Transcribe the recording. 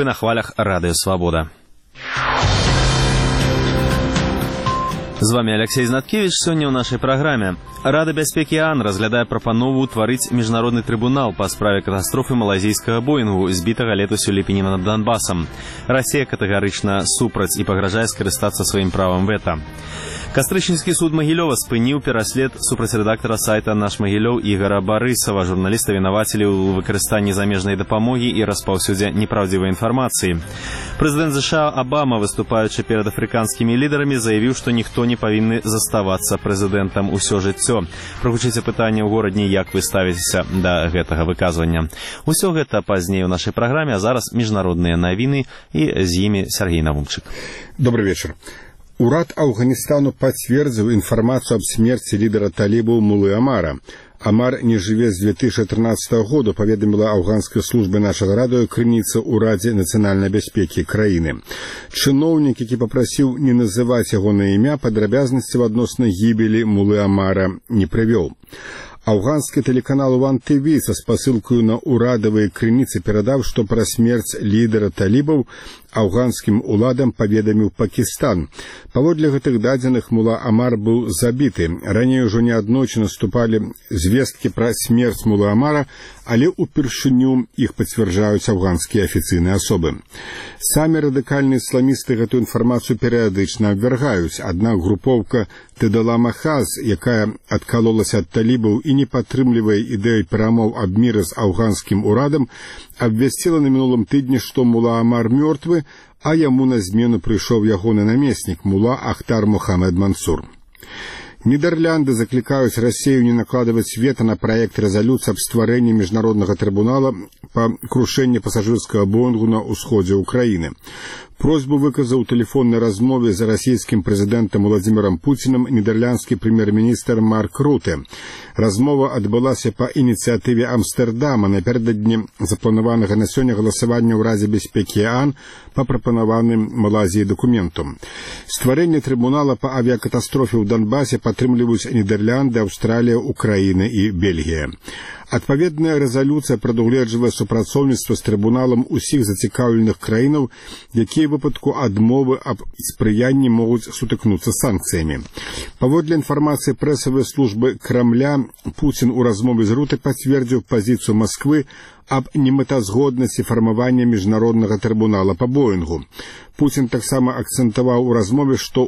Вы на хвалях Радыё Свабода. З вами Алексей Знаткевич. Сёння ў нашай праграме. Рада бяспекі ААН разглядае прапанову ўтварыць міжнародны трыбунал па справе катастрофы малайзійскага Боінгу, збітага летась у ліпені над Донбасам. Расія катэгарычна супраць і пагражае скарыстацца сваім правам вета. Кастрычніцкі суд Магілёва спыніў пераслед супраць рэдактара сайта «Наш Магілёў» Ігара Барысава. Журналіста вінавацілі ў выкарыстанні замежнай дапамогі і распаўсюдзе непраўдзівай інфармацыі. Прэзідэнт США Абама, выступаючы перад афрыканскімі лідарамі, заявіў, што ніхто не павінны заставацца прэзідэнтам усё жыццё. Прагучыце пытанне ў горадні, як вы ставіцеся да гэтага выказвання. Усё гэта пазней у нашай праграме, а зараз міжнародныя навіны, і з імі Сергей Навумчык. Добрый вечер. Урад Афганістану пацвердзіў інфармацыю аб смерці лідара талібаў Мулы Амара. Амар не жыве з 2013 года, паведаміла афганская служба нашага радыё крыніца ў Радзе нацыянальнай бяспекі краіны. Чыноўнік, які папрасіў не называць ягонае імя, падрабязнасці адносна гібелі Мулы Амара не прывёў. Афганскі тэлеканал One TV са спасылкаю на урадавыя крыніцы перадаў, што пра смерць лідара талібаў афганскім уладам паведаміў Пакістан. Паводле гэтых дадзеных Мула Амар быў забіты. Раней ужо неаднойчы наступалі звесткі пра смерць Мулы Амара, але ўпершыню іх пацвярджаюць афганскія афіцыйныя асобы. Самі радыкальныя ісламісты гэтую інфармацыю перыядычна абвяргаюць, аднак групоўка Тэдала Махаз, якая адкалолася ад талібаў і не падтрымлівае ідэю перамоў аб міры з афганскім урадам, абвясціла на мінулым тыдні, што Мула Амар мёртвы, а яму на змену прыйшоў ягоны намеснік Мула Ахтар Мухаммед Мансур. Нідерлянды заклікаюць Расію не накладваць вета на праект рэзалюцыі аб стварэнні міжнароднага трыбунала па крушэнні пасажырскага Боінгу на ўсходзе ўкраіны. Просьбу выказаў у тэлефоннай размове з расійскім прэзідэнтам Владзімірам Пуцінам нідерландскі прэм'ер-міністр Марк Руте. Размова адбылася па ініцыятыве Амстэрдама напярэдадні запланаванага на сёння галасавання ў Радзе бяспекі ААН па прапанаваным Малайзіяй дакументу. Стварэнне трыбунала па авіякатастрофе ў Донбасе падтрымліваюць Нідерлянды, Аўстралія, Украіна і Бельгія. Адпаведная рэзалюцыя прадугледжвае супрацоўніцтва з трыбуналам усіх зацікаўленых краінаў, якія ў выпадку адмовы аб спрыянні могуць сутыкнуцца санкцыямі. Паводле інфармацыі прэсавай службы Крамля, Пуцін у размове з Руте пацвердзіў пазіцыю Масквы аб немэтазгоднасці фармавання міжнароднага трыбунала па Боінгу. Пуцін таксама акцэнтаваў у размове, што